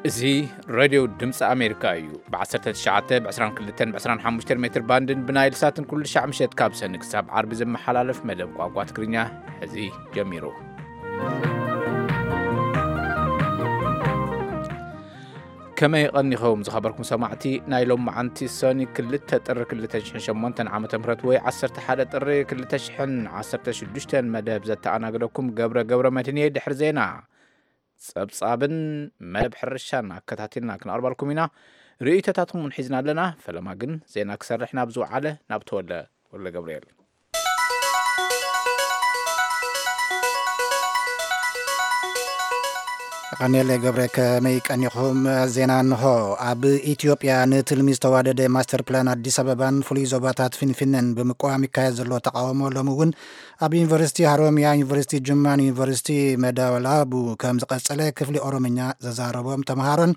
እዚ ሬድዮ ድምፂ ኣሜሪካ እዩ። ብ19፣ ብ22፣ ብ25 ሜትር ባንድን ብናይል ሳትን ኩሉ ሻዕ ምሸት ካብ ሰኒ ክሳብ ዓርቢ ዝመሓላለፍ መደብ ቋንቋ ትግርኛ ሕዚ ጀሚሩ። ከመይ ቀኒኹም ዝኸበርኩም ሰማዕቲ? ናይ ሎም መዓንቲ ሰኒ ክልተ ጥሪ ክልተ ሽሕን ሸሞንተን ዓመተ ምህረት ወይ ዓሰርተ ሓደ ጥሪ ክልተ ሽሕን ዓሰርተ ሽዱሽተን መደብ ዘተኣናግደኩም ገብረ ገብረ መድህን እየ። ድሕሪ ዜና ጸብጻብን መደብ ሕርሻን ኣከታቲልና ክንቐርበልኩም ኢና። ርእይቶታትኩም እውን ሒዝና ኣለና። ፈለማ ግን ዜና ክሰርሕ ናብ ዝወዓለ ናብ ተወልደ ወልደ ገብርኤል። ቀኔለ ገብረ፣ ከመይ ቀኒኹም? ዜና እንሆ። ኣብ ኢትዮጵያ ንትልሚ ዝተዋደደ ማስተር ፕላን ኣዲስ ኣበባን ፍሉይ ዞባታት ፊንፊነን ብምቅዋም ይካየድ ዘሎ ተቃውሞ ሎሚ እውን ኣብ ዩኒቨርሲቲ ሃሮሚያ፣ ዩኒቨርሲቲ ጅማን ዩኒቨርሲቲ መዳወላቡ ከም ዝቐጸለ ክፍሊ ኦሮምኛ ዘዛረቦም ተምሃሮን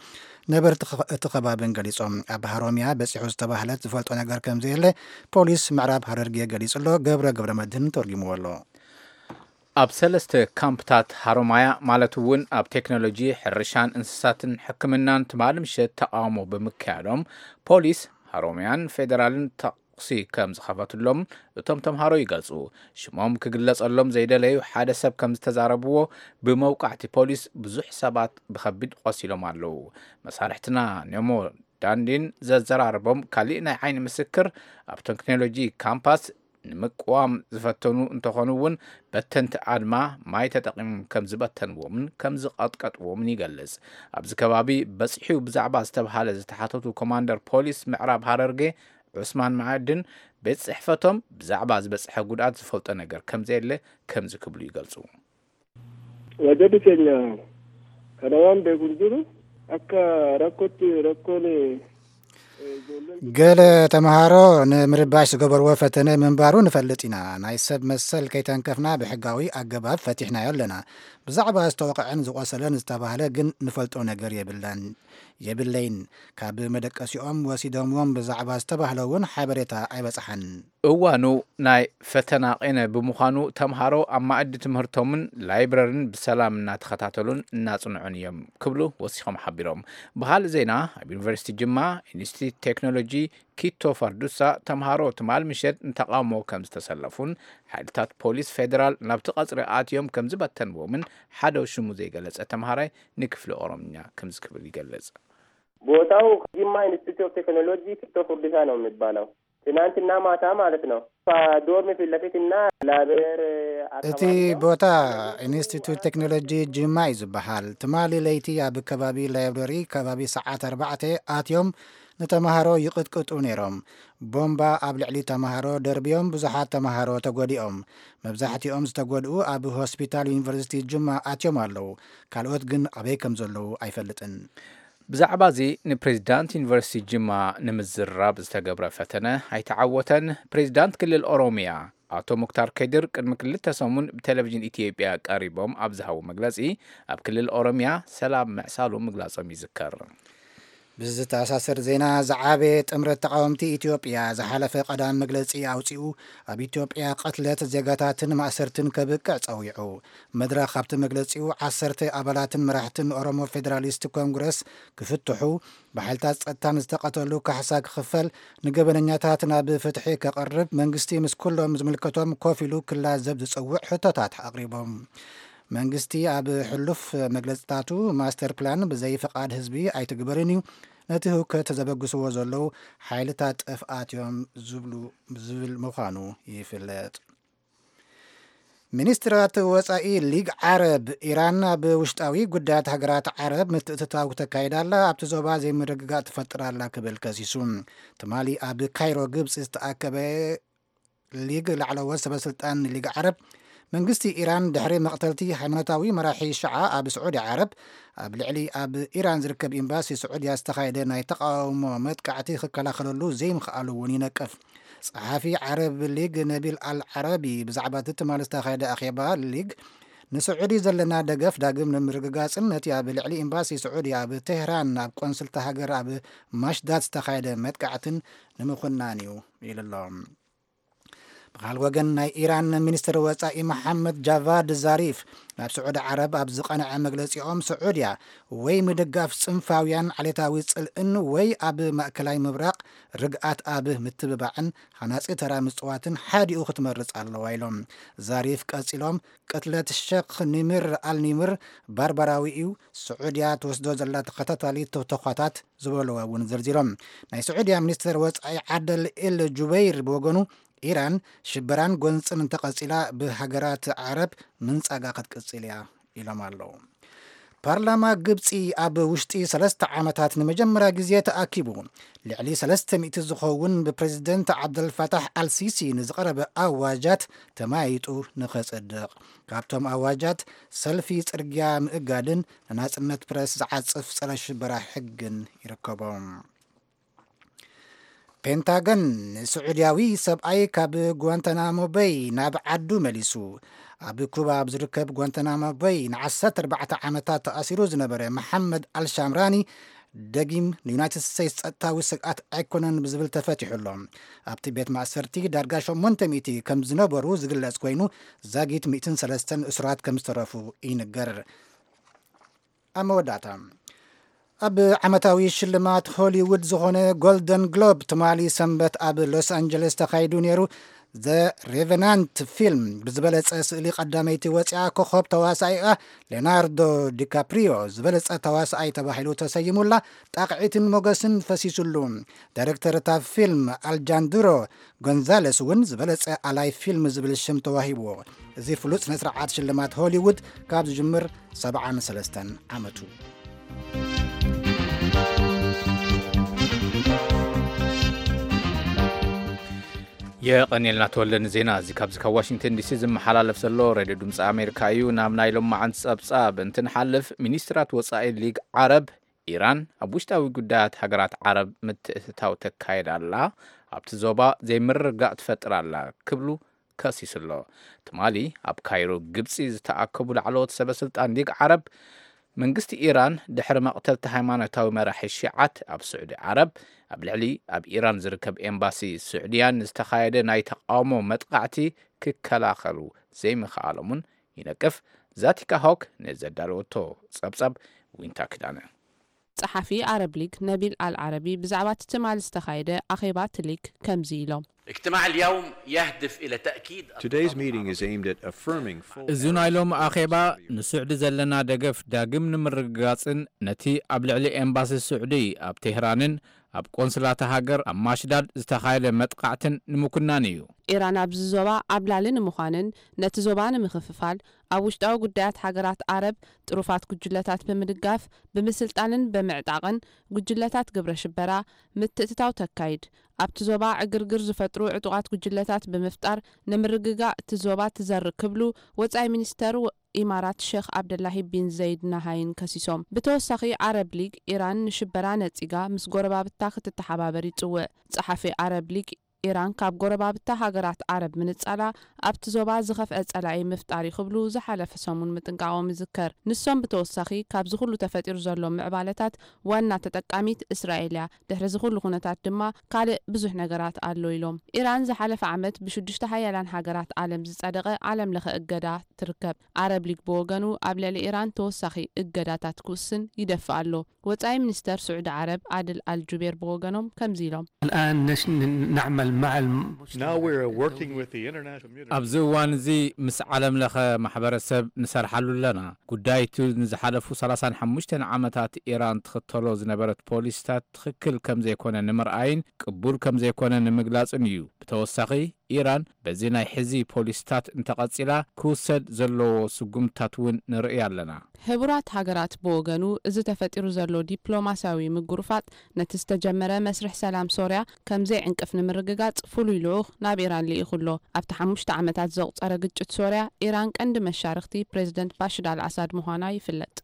ነበርቲ ኸ-፣ እቲ ከባብን ገሊጾም። ኣብ ሃሮሚያ በጺሑ ዝተባህለት ዝፈልጦ ነገር ከም ዘየለ ፖሊስ ምዕራብ ሃረርጌ ገሊጹ ኣሎ። ገብረ ገብረ መድህን ተርጉምዎ ኣሎ። ኣብ ሰለስተ ካምፕታት ሃሮማያ፣ ማለት እውን ኣብ ቴክኖሎጂ፣ ሕርሻን እንስሳትን ሕክምናን፣ ትማሊ ምሸት ተቃውሞ ብምክያዶም፣ ፖሊስ ሃሮማያን ፌደራልን ተኩሲ ከም ዝኸፈትሎም እቶም ተምሃሮ ይገልጹ። ሽሞም ክግለጸሎም ዘይደለዩ ሓደ ሰብ ከም ዝተዛረብዎ፣ ብመውቃዕቲ ፖሊስ ብዙሕ ሰባት ብኸቢድ ቆሲሎም ኣለዉ። መሳርሕትና ኔሞ ዳንዲን ዘዘራረቦም ካሊእ ናይ ዓይኒ ምስክር፣ ኣብ ቴክኖሎጂ ካምፓስ ንምቅዋም ዝፈተኑ እንተኾኑ እውን፣ በተንቲ ኣድማ ማይ ተጠቒሞም ከም ዝበተንዎምን ከም ዝቐጥቀጥዎምን ይገልጽ። ኣብዚ ከባቢ በጺሑ ብዛዕባ ዝተብሃለ ዝተሓተቱ ኮማንደር ፖሊስ ምዕራብ ሃረርጌ ዑስማን መዓድን፣ ቤት ጽሕፈቶም ብዛዕባ ዝበጽሐ ጉድኣት ዝፈልጦ ነገር ከም ዘየለ ከምዚ ክብሉ ይገልጹ። Wajjirri keenya kana waan beeku hin jiru. Akka rakkootti rakkoon, eh, ijoolleen ገለ ተምሃሮ ንምርባሽ ዝገበርዎ ፈተነ ምንባሩ ንፈልጥ ኢና። ናይ ሰብ መሰል ከይተንከፍና ብሕጋዊ ኣገባብ ፈቲሕናዮ ኣለና። ብዛዕባ ዝተወቕዐን ዝቖሰለን ዝተባህለ ግን ንፈልጦ ነገር የብላን፣ የብለይን። ካብ መደቀሲኦም ወሲዶምዎም ብዛዕባ ዝተባህለ እውን ሓበሬታ ኣይበጽሓን። እዋኑ ናይ ፈተና ቄነ ብምዃኑ፣ ተምሃሮ ኣብ መኣዲ ትምህርቶምን ላይብረርን ብሰላም እናተኸታተሉን እናጽንዑን እዮም ክብሉ ወሲኾም ሓቢሮም። ብኻልእ ዜና፣ ኣብ ዩኒቨርሲቲ ጅማ ኢንስቲትዩት ቴክኖሎጂ ኪቶ ፋርዱሳ፣ ተምሃሮ ትማል ምሸት ንተቓውሞ ከም ዝተሰለፉን፣ ሓይልታት ፖሊስ ፌደራል ናብቲ ቀጽሪ ኣትዮም ከም ዝበተንዎምን ሓደ ሽሙ ዘይገለጸ ተምሃራይ ንክፍሊ ኦሮምኛ ከምዚ ክብል ይገልጽ። ቦታው ጅማ ኢንስቲትዩት ኦፍ ቴክኖሎጂ ኪቶ ፉርዲሳ ነው የሚባለው። ትናንትና ማታ ማለት ነው። ዶርም ፊት ለፊት እና ላይብረሪ እቲ ኣካባቢ ነው። ቦታ ኢንስቲትዩት ቴክኖሎጂ ጅማ እዩ ዝበሃል። ትማሊ ለይቲ ኣብ ከባቢ ላይብረሪ ከባቢ ሰዓት ኣርባዕተ ኣትዮም ንተምሃሮ ይቕጥቅጡ ነይሮም። ቦምባ ኣብ ልዕሊ ተምሃሮ ደርብዮም ብዙሓት ተምሃሮ ተጎዲኦም። መብዛሕትኦም ዝተጎድኡ ኣብ ሆስፒታል ዩኒቨርሲቲ ጅማ ኣትዮም ኣለዉ። ካልኦት ግን ኣበይ ከም ዘለዉ ኣይፈልጥን። ብዛዕባ እዚ ንፕሬዚዳንት ዩኒቨርሲቲ ጅማ ንምዝራብ ዝተገብረ ፈተነ ኣይተዓወተን። ፕሬዚዳንት ክልል ኦሮሚያ ኣቶ ሙክታር ከድር ቅድሚ ክልተ ሰሙን ብቴሌቪዥን ኢትዮጵያ ቀሪቦም ኣብ ዝሃቡ መግለጺ፣ ኣብ ክልል ኦሮሚያ ሰላም ምዕሳሉ ምግላጾም ይዝከር። ብዝተኣሳሰር ዜና፣ ዝዓበየ ጥምረት ተቓወምቲ ኢትዮጵያ ዝሓለፈ ቀዳም መግለጺ ኣውጺኡ፣ ኣብ ኢትዮጵያ ቅትለት ዜጋታትን ማእሰርትን ከብቅዕ ጸዊዑ። መድረኽ ኣብቲ መግለጺኡ፣ ዓሰርተ ኣባላትን መራሕትን ኦሮሞ ፌደራሊስት ኮንግረስ ክፍትሑ፣ ብሓይልታት ጸጥታን ዝተቐተሉ ካሕሳ ክኽፈል፣ ንገበነኛታት ናብ ፍትሒ ከቕርብ፣ መንግስቲ ምስ ኩሎም ዝምልከቶም ኮፍ ኢሉ ክላዘብ ዝጸውዕ ሕቶታት ኣቕሪቦም። መንግስቲ ኣብ ሕሉፍ መግለጽታቱ፣ ማስተር ፕላን ብዘይ ፍቓድ ህዝቢ ኣይትግበርን እዩ፣ ነቲ ህውከት ዘበግስዎ ዘለዉ ሓይልታት ጥፍኣት እዮም ዝብሉ፣ ዝብል ምዃኑ ይፍለጥ። ሚኒስትራት ወጻኢ ሊግ ዓረብ፣ ኢራን ኣብ ውሽጣዊ ጉዳያት ሃገራት ዓረብ ምትእትታው ተካይዳ ኣላ፣ ኣብቲ ዞባ ዘይምርግጋእ ትፈጥር ኣላ ክብል ከሲሱ። ትማሊ ኣብ ካይሮ ግብጺ ዝተኣከበ ሊግ ላዕለዎት ሰበስልጣን ሊግ ዓረብ፣ መንግስቲ ኢራን ድሕሪ መቕተልቲ ሃይማኖታዊ መራሒ ሽዓ ኣብ ስዑዲ ዓረብ፣ ኣብ ልዕሊ ኣብ ኢራን ዝርከብ ኤምባሲ ስዑድያ ዝተኻየደ ናይ ተቓውሞ መጥቃዕቲ ክከላኸለሉ ዘይምኽኣሉ እውን ይነቅፍ። ጸሓፊ ዓረብ ሊግ ነቢል ኣል ዓረቢ ብዛዕባ እቲ ትማሊ ዝተኻየደ ኣኼባ ሊግ፣ ንስዑዲ ዘለና ደገፍ ዳግም ንምርግጋጽን ነቲ ኣብ ልዕሊ ኤምባሲ ስዑዲ ኣብ ቴህራን ኣብ ቆንስልቲ ሃገር ኣብ ማሽዳት ዝተኻየደ መጥቃዕትን ንምኹናን እዩ ኢሉ ኣሎ። ብኻል ወገን ናይ ኢራን ሚኒስትር ወጻኢ መሓመድ ጃቫድ ዛሪፍ ናብ ስዑዲ ዓረብ ኣብ ዝቐንዐ መግለጺኦም፣ ስዑድያ ወይ ምድጋፍ ጽንፋውያን ዓሌታዊ ጽልእን ወይ ኣብ ማእከላይ ምብራቕ ርግኣት ኣብ ምትብባዕን ሃናጺ ተራ ምጽዋትን ሓዲኡ ክትመርጽ ኣለዋ ኢሎም። ዛሪፍ ቀጺሎም፣ ቅትለት ሸኽ ኒምር ኣልኒምር ባርባራዊ እዩ፣ ስዑድያ ትወስዶ ዘላ ተኸታታሊ ተኾታት ዝበለዋ እውን ዘርዚሮም። ናይ ስዑድያ ሚኒስትር ወጻኢ ዓደል ኤል ጁበይር ብወገኑ፣ ኢራን ሽበራን ጎንጽን እንተቐጺላ ብሃገራት ዓረብ ምንጻጋ ክትቅጽል እያ ኢሎም ኣለዉ። ፓርላማ ግብጺ ኣብ ውሽጢ ሰለስተ ዓመታት ንመጀመርያ ግዜ ተኣኪቡ፣ ልዕሊ ሰለስተ ሚእቲ ዝኸውን ብፕሬዝደንት ዓብደልፋታሕ ኣልሲሲ ንዝቐረበ ኣዋጃት ተማይጡ ንኸጸድቕ። ካብቶም ኣዋጃት፣ ሰልፊ ጽርግያ ምእጋድን ንናጽነት ፕረስ ዝዓጽፍ ጸረ ሽበራ ሕግን ይርከቦም። ፔንታገን ንስዑድያዊ ሰብኣይ ካብ ጓንታናሞ በይ ናብ ዓዱ መሊሱ። ኣብ ኩባ ኣብ ዝርከብ ጓንታናሞ በይ ን ዓሰርተ ኣርባዕተ ዓመታት ተኣሲሩ ዝነበረ መሓመድ ኣልሻምራኒ ደጊም ንዩናይትድ ስቴትስ ጸጥታዊ ስግኣት ኣይኮነን ብዝብል ተፈቲሑ ኣሎ። ኣብቲ ቤት ማእሰርቲ ዳርጋ ሸሞንተ ሚእቲ ከም ዝነበሩ ዝግለጽ ኮይኑ፣ ዛጊት ሚእትን ሰለስተን እሱራት ከም ዝተረፉ ይንገር። ኣብ መወዳእታ፣ ኣብ ዓመታዊ ሽልማት ሆሊውድ ዝኾነ ጎልደን ግሎብ ትማሊ ሰንበት ኣብ ሎስ ኣንጀለስ ተኻይዱ ነይሩ። ዘ ሬቨናንት ፊልም ብዝበለጸ ስእሊ ቀዳመይቲ ወፂኣ፣ ኮኸብ ተዋሳኢኣ ሌናርዶ ዲካፕሪዮ ዝበለጸ ተዋሳኣይ ተባሂሉ ተሰይሙላ፣ ጣቕዒትን ሞገስን ፈሲሱሉ። ዳይሬክተር እታ ፊልም ኣልጃንድሮ ጎንዛለስ እውን ዝበለጸ ኣላይ ፊልም ዝብል ሽም ተዋሂብዎ። እዚ ፍሉጥ ስነ ስርዓት ሽልማት ሆሊውድ ካብ ዝጅምር ሰብዓን ሰለስተን ዓመቱ። የቐንየልና ተወልደ ንዜና እዚ። ካብዚ ካብ ዋሽንግተን ዲሲ ዝመሓላለፍ ዘሎ ሬድዮ ድምፂ ኣሜሪካ እዩ። ናብ ናይ ሎማዓንቲ ጸብጻብ እንትንሓልፍ፣ ሚኒስትራት ወጻኢ ሊግ ዓረብ፣ ኢራን ኣብ ውሽጣዊ ጉዳያት ሃገራት ዓረብ ምትእትታው ተካይድ ኣላ፣ ኣብቲ ዞባ ዘይምርግጋእ ትፈጥር ኣላ ክብሉ ከሲሱ ኣሎ። ትማሊ ኣብ ካይሮ ግብጺ ዝተኣከቡ ላዕለዎት ሰበ ስልጣን ሊግ ዓረብ፣ መንግስቲ ኢራን ድሕሪ መቕተልቲ ሃይማኖታዊ መራሒ ሺዓት ኣብ ስዑዲ ዓረብ፣ ኣብ ልዕሊ ኣብ ኢራን ዝርከብ ኤምባሲ ስዑድያን ዝተኻየደ ናይ ተቓውሞ መጥቓዕቲ ክከላኸሉ ዘይምኽኣሎምን ይነቅፍ። ዛቲካ ሆክ ነዘዳለወቶ ጸብጻብ ዊንታ ክዳነ። ጸሓፊ ኣረብ ሊግ ነቢል ኣል ዓረቢ ብዛዕባ እቲ ትማሊ ዝተኻየደ ኣኼባ እቲ ሊግ ከምዚ ኢሎም። اجتماع اليوم يهدف إلى تأكيد Today's meeting is aimed at affirming full እዚ ናይ ሎሚ ኣኼባ ንስዑዲ ዘለና ደገፍ ዳግም ንምርግጋጽን ነቲ ኣብ ልዕሊ ኤምባሲ ስዑዲ ኣብ ቴህራንን ኣብ ቆንስላታ ሃገር ኣብ ማሽዳድ ዝተኻየደ መጥቃዕትን ንምኩናን እዩ። ኢራን ኣብዚ ዞባ ዓብላሊ ንምዃንን ነቲ ዞባ ንምኽፍፋል ኣብ ውሽጣዊ ጉዳያት ሃገራት ዓረብ ጥሩፋት ጉጅለታት ብምድጋፍ፣ ብምስልጣንን ብምዕጣቕን ጉጅለታት ግብረ ሽበራ ምትእትታው ተካይድ። ኣብቲ ዞባ ዕግርግር ዝፈጥሩ ዕጡቓት ጉጅለታት ብምፍጣር ንምርግጋእ እቲ ዞባ ትዘርእ ክብሉ ወጻኢ ሚኒስተር ኢማራት ሼኽ ዓብደላሂ ቢን ዘይድ ናሃይን ከሲሶም። ብተወሳኺ ዓረብ ሊግ ኢራን ንሽበራ ነጺጋ ምስ ጎረባብታ ክትተሓባበር ይጽውዕ። ጸሓፊ ዓረብ ሊግ ኢራን ካብ ጎረባብታ ሃገራት ዓረብ ምንጻላ ኣብቲ ዞባ ዝኸፍአ ጸላኢ ምፍጣር እዩ ክብሉ ዝሓለፈ ሰሙን ምጥንቃቖም ይዝከር። ንሶም ብተወሳኺ ካብዚ ኩሉ ተፈጢሩ ዘሎ ምዕባለታት ዋና ተጠቃሚት እስራኤል እያ። ድሕሪ እዚ ኩሉ ኩነታት ድማ ካልእ ብዙሕ ነገራት ኣሎ ኢሎም። ኢራን ዝሓለፈ ዓመት ብሽዱሽተ ሓያላን ሃገራት ዓለም ዝጸደቐ ዓለም ለኸ እገዳ ትርከብ። ዓረብ ሊግ ብወገኑ ኣብ ልዕሊ ኢራን ተወሳኺ እገዳታት ክውስን ይደፍእ ኣሎ። ወጻኢ ሚኒስተር ስዑዲ ዓረብ ዓድል ኣል ጁቤር ብወገኖም ከምዚ ኢሎም። الآن نش- نعمل مع الم- Now we're working with the international community. ኣብዚ እዋን እዚ ምስ ዓለም ለኸ ማሕበረሰብ ንሰርሓሉ ኣለና። ጉዳይ እቲ ንዝሓለፉ ሰላሳን ሓሙሽተን ዓመታት ኢራን ትኽተሎ ዝነበረት ፖሊሲታት ትኽክል ከም ዘይኮነ ንምርኣይን ቅቡል ከም ዘይኮነ ንምግላጽን እዩ። ብተወሳኺ፣ ኢራን በዚ ናይ ሕዚ ፖሊሲታት እንተቐጺላ ክውሰድ ዘለዎ ስጉምትታት እውን ንርኢ ኣለና። ሕቡራት ሃገራት ብወገኑ፣ እዚ ተፈጢሩ ዘሎ ዲፕሎማስያዊ ምጉርፋጥ ነቲ ዝተጀመረ መስርሕ ሰላም ሶርያ ከም ዘይዕንቅፍ ንምርግጋጽ ፍሉይ ልኡኽ ናብ ኢራን ልኢኹ ኣሎ። ኣብቲ ሓሙሽተ ዓመታት ዘቑጸረ ግጭት ሶርያ፣ ኢራን ቀንዲ መሻርኽቲ ፕሬዝደንት ባሽር ኣል ኣሳድ ምዃና ይፍለጥ።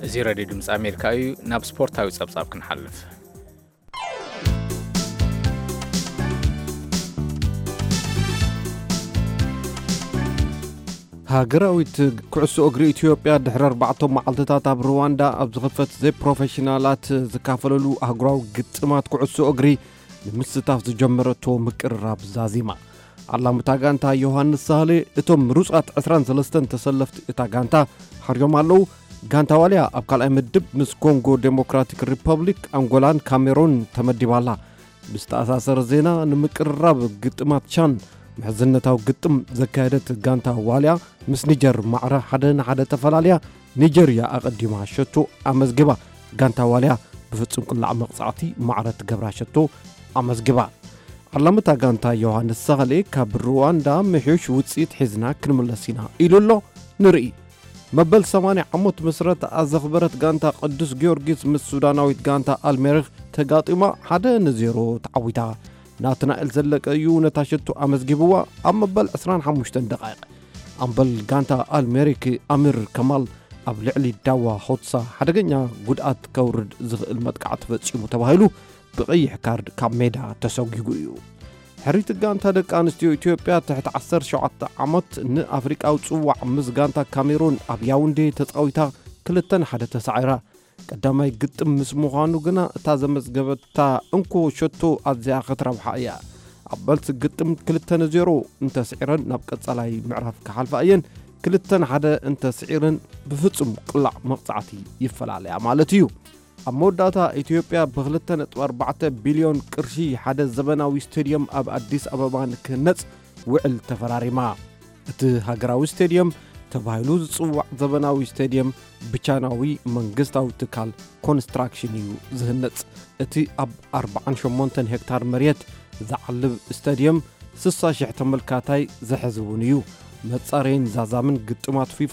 እዚ ሬድዮ ድምፂ ኣሜሪካ እዩ። ናብ ስፖርታዊ ጸብጻብ ክንሓልፍ። ሃገራዊት ኩዕሶ እግሪ ኢትዮጵያ ድሕሪ ኣርባዕተ መዓልትታት ኣብ ሩዋንዳ ኣብ ዝኽፈት ዘይፕሮፌሽናላት ዝካፈለሉ ኣህጉራዊ ግጥማት ኩዕሶ እግሪ ምስታፍ ዝጀመረቶ ምቅርራብ ዛዚማ። ዓላምታ ጋንታ ዮሃንስ ሳህሌ እቶም ምሩጻት ዕስራን ሰለስተን ተሰለፍቲ እታ ጋንታ ሓርዮም ኣለዉ። ጋንታ ዋልያ ኣብ ካልኣይ ምድብ ምስ ኮንጎ ዴሞክራቲክ ሪፐብሊክ፣ ኣንጎላን ካሜሮን ተመዲባ ኣላ። ብዝተኣሳሰረ ዜና፣ ንምቅርራብ ግጥማት ቻን ምሕዝነታዊ ግጥም ዘካየደት ጋንታ ዋልያ ምስ ኒጀር ማዕረ ሓደ ንሓደ ተፈላልያ፣ ኒጀርያ ኣቐዲማ ሸቶ ኣመዝጊባ። ጋንታ ዋልያ ብፍጹም ቅላዕ መቕጻዕቲ ማዕረ ትገብራ ሸቶ ኣመዝጊባ። ዓላምታ ጋንታ ዮሃንስ ሳህሌ ካብ ሩዋንዳ ምሕዩሽ ውጽኢት ሒዝና ክንምለስ ኢና ኢሉ ኣሎ። ንርኢ። መበል ሰማንያ ዓመት ምስረትኣ ዘኽበረት ጋንታ ቅዱስ ጊዮርጊስ ምስ ሱዳናዊት ጋንታ ኣልሜሪክ ተጋጢማ ሓደ ንዜሮ ተዓዊታ። ናትናኤል ዘለቀ እዩ ነታ ሸቶ ኣመዝጊብዋ ኣብ መበል ዕስራን ሓሙሽተን ደቓይቕ። ኣምበል ጋንታ ኣልሜሪክ ኣሚር ከማል ኣብ ልዕሊ ዳዋ ሆትሳ ሓደገኛ ጉድኣት ከውርድ ዝኽእል መጥቃዕቲ ፈጺሙ ተባሂሉ ብቐይሕ ካርድ ካብ ሜዳ ተሰጒጉ እዩ። ሕሪት ጋንታ ደቂ ኣንስትዮ ኢትዮጵያ ትሕቲ ዓሰርተ ሸውዓተ ዓመት ንኣፍሪቃዊ ጽዋዕ ምስ ጋንታ ካሜሩን ኣብ ያውንዴ ተጻዊታ ክልተ ንሓደ ተሳዒራ። ቀዳማይ ግጥም ምስ ምዃኑ ግና እታ ዘመዝገበታ እንኮ ሸቶ ኣዝያ ክትረብሓ እያ። ኣብ መልሲ ግጥም ክልተ ንዜሮ እንተስዒረን ናብ ቀጻላይ ምዕራፍ ክሓልፋ እየን። ክልተ ንሓደ እንተስዒረን ብፍጹም ቅላዕ መቕጻዕቲ ይፈላለያ ማለት እዩ። ኣብ መወዳእታ ኢትዮጵያ ብ ክልተ ነጥቢ ኣርባዕተ ቢልዮን ቅርሺ ሓደ ዘበናዊ ስቴድየም ኣብ ኣዲስ ኣበባ ንክህነጽ ውዕል ተፈራሪማ። እቲ ሃገራዊ ስቴድየም ተባሂሉ ዝጽዋዕ ዘበናዊ ስቴድየም ብቻይናዊ መንግስታዊ ትካል ኮንስትራክሽን እዩ ዝህነጽ። እቲ ኣብ ኣርባዓን ሸሞንተን ሄክታር መሬት ዝዓልብ ስታድየም ስሳ ሽሕ ተመልካታይ ዝሕዝ እውን እዩ። መጻረይን ዛዛምን ግጥማት ፊፋ፣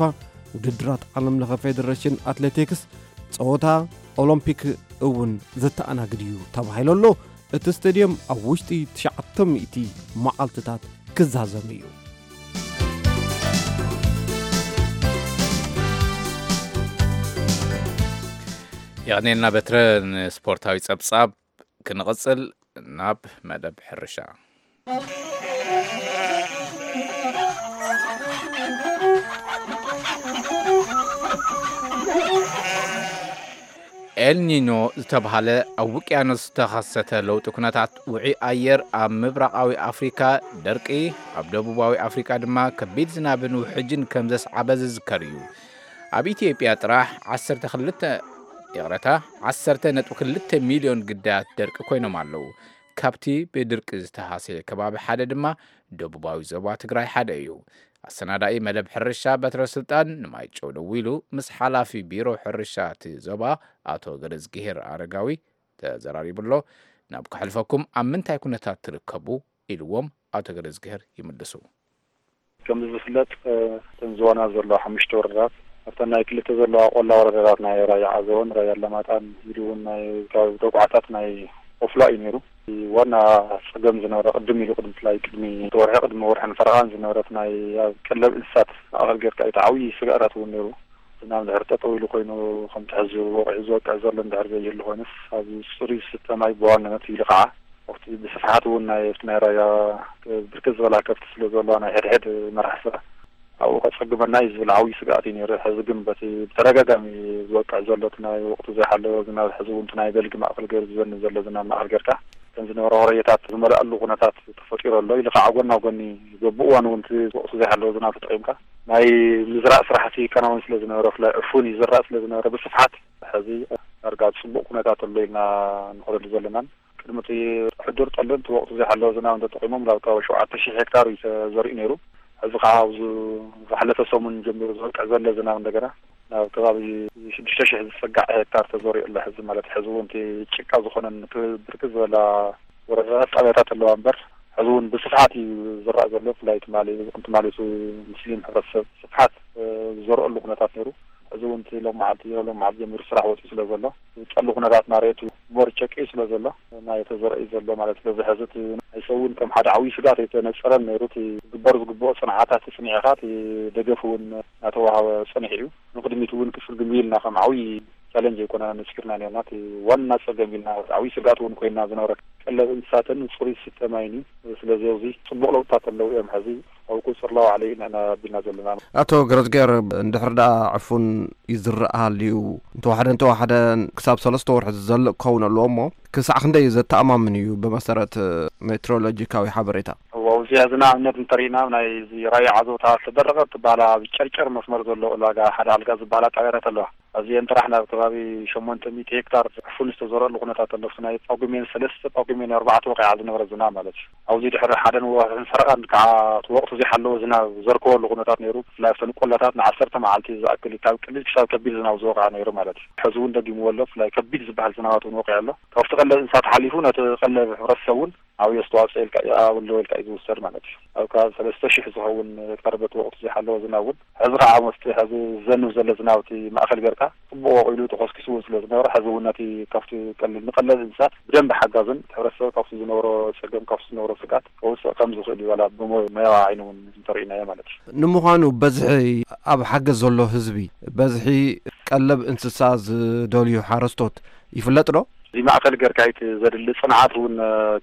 ውድድራት ዓለምለኸ ፌደሬሽን ኣትሌቲክስ፣ ጸወታ ኦሎምፒክ እውን ዘተኣናግድ እዩ ተባሂሉ ኣሎ። እቲ ስቴድየም ኣብ ውሽጢ ትሽዓተ ሚእቲ መዓልትታት ክዛዘም እዩ። የቐኔልና በትረ። ንስፖርታዊ ጸብጻብ ክንቕጽል ናብ መደብ ሕርሻ። ኤልኒኖ ዝተብሃለ ኣብ ውቅያኖስ ዝተኸሰተ ለውጢ ኩነታት ውዑይ ኣየር ኣብ ምብራቓዊ ኣፍሪካ ደርቂ፣ ኣብ ደቡባዊ ኣፍሪካ ድማ ከቢድ ዝናብን ውሕጅን ከም ዘስዓበ ዝዝከር እዩ። ኣብ ኢትዮጵያ ጥራሕ ዓሰርተ ክልተ፣ ይቕረታ፣ ዓሰርተ ነጥቢ ክልተ ሚልዮን ግዳያት ደርቂ ኮይኖም ኣለዉ። ካብቲ ብድርቂ ዝተሃስየ ከባቢ ሓደ ድማ ደቡባዊ ዞባ ትግራይ ሓደ እዩ። ኣሰናዳኢ መደብ ሕርሻ በትረ ስልጣን ንማይጨው ደዊሉ ምስ ሓላፊ ቢሮ ሕርሻ እቲ ዞባ ኣቶ ገረዝግሄር ኣረጋዊ ተዘራሪቡ ኣሎ። ናብ ከሕልፈኩም፣ ኣብ ምንታይ ኩነታት ትርከቡ ኢልዎም ኣቶ ገረዝግሄር ይምልሱ። ከም ዝፍለጥ፣ እ፣ እተን ዝዋና ዘለዋ ሓሙሽተ ወረዳታት፣ ኣብተን ናይ ክልተ ዘለዋ ቆላ ወረዳታት ናይ ራያ ዓዘቦን ራያ ኣላማጣን፣ ኢሉ እውን ናይ ካብ ተቋዕታት ናይ ቆፍላ እዩ ነይሩ። እቲ ዋና ጸገም ዝነበረ ቅድም ኢሉ፣ ቅድሚ፣ ብፍላይ ቅድሚ ወርሒ፣ ቅድሚ ወርሕን ፈረቓን ዝነበረት ናይ ኣብ ቀለብ እንስሳት ማእከል ጌርካ እዩ። እቲ ዓብዪ ስግኣታት እውን ነይሩ። ዝናብ እንድሕር ጠጠው ኢሉ ኮይኑ፣ ከምቲ ሕዚ ወቕዒ ዝወቅዕ ዘሎ እንድሕር ዘይህሉ ኮይኑስ፣ ኣብ ጽሩይ ዝስተ ማይ ብዋናነት ኢሉ ከዓ ወቅቲ ብስፍሓት እውን ናይ፣ ናይ ራያ ብርክት ዝበላ ከብቲ ስለ ዘለዋ ናይ ሕድሕድ መራሕ ስራሕ ኣብኡ ከጸግመና እዩ ዝብል ዓብዪ ስግኣት እዩ ነይሩ። ሕዚ ግን በቲ ብተደጋጋሚ ዝወቅዕ ዘሎ እቲ ናይ ወቅቱ ዘይሓለወ ዝናብ፣ ሕዚ እውን እቲ ናይ በልጊ ማእከል ገይሩ ዝዘንብ ዘሎ ዝናብ ማእከል ጌርካ፣ ከም ዝነበረ ወረየታት ዝመልኣሉ ኩነታት ተፈጢሩ ኣሎ። ኢሉ ከዓ ጎና ጎኒ በብእዋኑ እውን እቲ ወቅቱ ዘይሓለወ ዝናብ ተጠቒምካ ናይ ምዝራእ ስራሕቲ ይከናወን ስለ ዝነበረ፣ ብፍላይ ዕፉን ይዝራእ ስለ ዝነበረ ብስፍሓት፣ ሕዚ ዳርጋ ጽቡቕ ኩነታት ኣሎ ኢልና ንኸደሉ ዘለናን ቅድሚ እቲ ሕዱር ጠልን እቲ ወቕቱ ዘይሓለወ ዝናብ እንተጠቒሞም ናብ ከባቢ ሸውዓተ ሺሕ ሄክታር እዩ ተዘሪኡ ነይሩ። ሕዚ ከዓ ኣብዚ ዝሓለፈ ሰሙን ጀሚሩ ዝወቅዕ ዘሎ ዝናብ እንደገና ናብ ከባቢ ሽዱሽተ ሺሕ ዝጸጋዕ ሄክታር ተዘሪኡ ኣሎ። ሕዚ ማለት ሕዚ እውን እቲ ጭቃ ዝኾነን እቲ ብርክት ዝበላ ወረዳታት ጣብያታት ኣለዋ እምበር ሕዚ እውን ብስፍሓት እዩ ዝረኣ ዘሎ። ብፍላይ ትማሊ፣ ትማሊ እቲ ሙስሊም ሕብረተሰብ ስፍሓት፣ እ፣ ዝዘርአሉ ኩነታት ነይሩ። ሕዚ እውን እቲ ሎም መዓልቲ፣ ሎም መዓልቲ ጀሚሩ ስራሕ ወፂኡ ስለ ዘሎ፣ ዝፀሉ ኩነታት እናረኤ እቲ ሞር ጨቂዩ ስለ ዘሎ፣ ናይ ተዘርአ እዩ ዘሎ ማለት። ስለዚ ሕዚ እቲ ናይ ሰብ እውን ከም ሓደ ዓብዪ ስግኣት ኣይተነፀረን ነይሩ። እቲ ክግበር ዝግብኦ ፅንዓታት ፅኒዕኻ፣ እቲ ደገፍ እውን እናተዋሃበ ፀኒሑ እዩ። ንቕድሚት እውን ክስግም ኢልና ከም ዓብዪ ቻለንጅ ኣይኮነና ነፂርና ነርና። እቲ ዋና ፀገም ኢልና፣ ዓብዪ ስግኣት እውን ኮይና ዝነበረ ቀለብ እንስሳትን ፅሩይ ዝስተ ማይን እዩ። ስለዚ ኣብዚ ፅቡቕ ለውጥታት ኣለዉ እዮም። ሕዚ ኣብ ስርላው ዓለ ኢና ኣቢልና ዘለና። ኣቶ ገረዝጌር፣ እንድሕር ደኣ ዕፉን ይዝረእ ሃልዩ፣ እንተወሓደ እንተወሓደ ክሳብ ሰለስተ ወርሒ ዝዘልእ ክኸውን ኣለዎ እሞ፣ ክሳዕ ክንደይ ዘተኣማምን እዩ ብመሰረት ሜትሮሎጂካዊ ሓበሬታ? እዎ፣ ኣብዚ ሕዚ ንኣብነት እንተሪእና፣ ናይ እዚ ራያ ዓዘውታ ዝተደረቐ ትበሃላ ኣብ ጨርጨር መስመር ዘሎ ዕላጋ ሓደ ኣልጋ ዝበሃላ ጣብያታት ኣለዋ። ኣብዚአን ጥራሕ ናብ ከባቢ ሸሞንተ ሚእቲ ሄክታር ዕፉን ዝተዘረሉ ኩነታት ኣሎ። ናይ ጳጉሜን ሰለስተ፣ ጳጉሜን ኣርባዕተ ወቂዓ ዝነበረ ዝናብ ማለት እዩ። ኣብዚ ድሕሪ ሓደን ወርሕን ፈረቓን ከዓ እቲ ወቕቲ ዘይሓለወ ዝናብ ዘርከበሉ ኩነታት ነይሩ። ብፍላይ ኣብተን ቆላታት ንዓሰርተ መዓልቲ ዝኣክል ካብ ቀሊል ክሳብ ከቢድ ዝናብ ዝወቕዐ ነይሩ ማለት እዩ። ሕዚ እውን ደጊምዎ ኣሎ። ብፍላይ ከቢድ ዝበሃል ዝናባት እውን ወቂዑ ኣሎ። ካብቲ ቀለብ እንስሳት ሓሊፉ ነቲ ቀለብ ሕብረተሰብ እውን ዓብዪ ኣስተዋፅኦ ኢልካ፣ ኣለዎ ኢልካ እዩ ዝውሰድ ማለት እዩ። ኣብ ከባቢ ሰለስተ ሽሕ ዝኸውን ቀርበት ወቕቲ ዘይሓለወ ዝናብ እውን ሕዚ ከዓ መስቲ ሕዚ ዝዘንብ ዘሎ ዝናብ እቲ ማእኸል ጌርካ ፅቡቕ ወቒሉ ተኾስኪሱ እውን ስለ ዝነበረ፣ ሕዚ እውን ነቲ ካብቲ ቀሊል ንቀለብ እንስሳት ብደንብ ሓጋዝን እቲ ሕብረተሰብ ካብቲ ዝነበሮ ፀገም፣ ካብቲ ዝነበሮ ስግኣት ከውፅእ ከም ዝኽእል እዩ። ዋላ ብሞያዊ ዓይኒ እውን እንተርኢናዮ ማለት እዩ። ንምዃኑ በዝሒ ኣብ ሓገዝ ዘሎ ህዝቢ፣ በዝሒ ቀለብ እንስሳ ዝደልዩ ሓረስቶት ይፍለጥ ዶ? እዚ ማእኸል ጌርካ እቲ ዘድሊ ፅንዓት እውን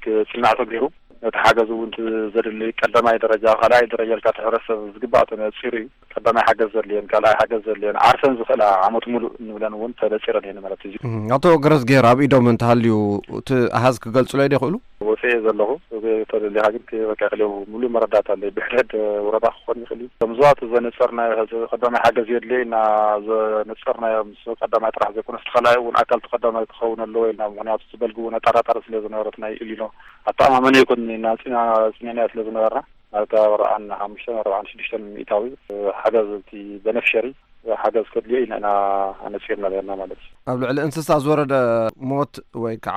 ክፅናዕ ተገይሩ፣ ነቲ ሓገዝ እውን እቲ ዘድሊ ቀዳማይ ደረጃ፣ ካልኣይ ደረጃ ኢልካ እቲ ሕብረተሰብ ዝግባእ ተነፂሩ እዩ። ቀዳማይ ሓገዝ ዘድልየን፣ ካልኣይ ሓገዝ ዘድልየን፣ ዓርሰን ዝኽእላ ዓመት ሙሉእ እንብለን እውን ተነፂረን እየን ማለት እዩ። እም፣ ኣቶ ገረዝጌር፣ ኣብ ኢዶም እንተሃልዩ እቲ ኣሃዝ ክገልጹለይ ዶ ይኽእሉ? ወፂኤ ዘለኹ፣ ተደሊኻ ግን ክበካ ክልው ሙሉእ መረዳእታ ኣለይ። ብሕድሕድ ወረዳ ክኾን ይኽእል እዩ። ከም ዞባ እቲ ዘነፀርናዮ፣ ሕዚ ቀዳማይ ሓገዝ የድልዮ ኢልና ዘነፀርናዮ ምስ ቀዳማይ ጥራሕ ዘይኮነስ፣ እቲ ካልኣይ እውን ኣካል እቲ ቀዳማይ ክኸውን ኣለዎ ኢልና፣ ምኽንያቱ እቲ በልጊ እውን ኣጠራጣሪ ስለ ዝነበረ፣ እቲ ናይ ኢሊኖ ኣተኣማመኒ ኣይኮንን ኢልና ኣፅኒዕና፣ ኣፅኒዕናዮ ስለ ዝነበርና፣ ናብ ከባቢ ኣርብዓን ሓሙሽተን ኣርብዓን ሽዱሽተን ሚእታዊ ሓገዝ እቲ በነፍሸሪ ሓገዝ ከድልዮ ኢና ኢና ኣነፂርና ነርና ማለት እዩ። ኣብ ልዕሊ እንስሳ ዝወረደ ሞት ወይ ከዓ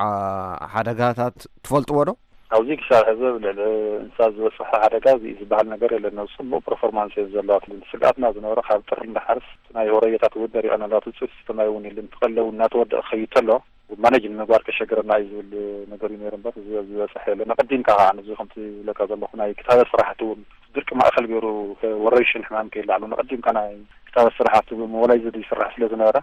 ሓደጋታት ትፈልጥዎ ዶ? ኣብዚ ክሳብ ሕዚ ኣብ ልዕሊ እንስሳ ዝበፅሐ ሓደጋ እዚ ዝበሃል ነገር የለን። ናብ ፅቡቕ ፐርፎርማንስ እየን ዘለዋ። ስግኣትና ዝነበረ ካብ ጥሪ እንዳሓርስ ናይ ሆረየታት እውን ደሪቐን ኣለዋ። እቲ ፅፍቲ ማይ እውን የለን። እቲ ቀለብ እውን እናተወደአ ክኸይድ ተሎ ማኔጅ ንምግባር ከሸግረና እዩ ዝብል ነገር እዩ ነይሩ እምበር፣ እዚ ዝበፅሐ የለን። ኣቐዲምካ ከዓ ነዚ ከምቲ ዝብለካ ዘለኹ ናይ ክታበት ስራሕቲ እውን ድርቂ ማእኸል ገይሩ ወረርሽን ሕማም ከይላዕሉ ነቐዲምካ ናይ ክታበት ስራሕቲ ብሞባላይዝድ ይስራሕ ስለ ዝነበረ፣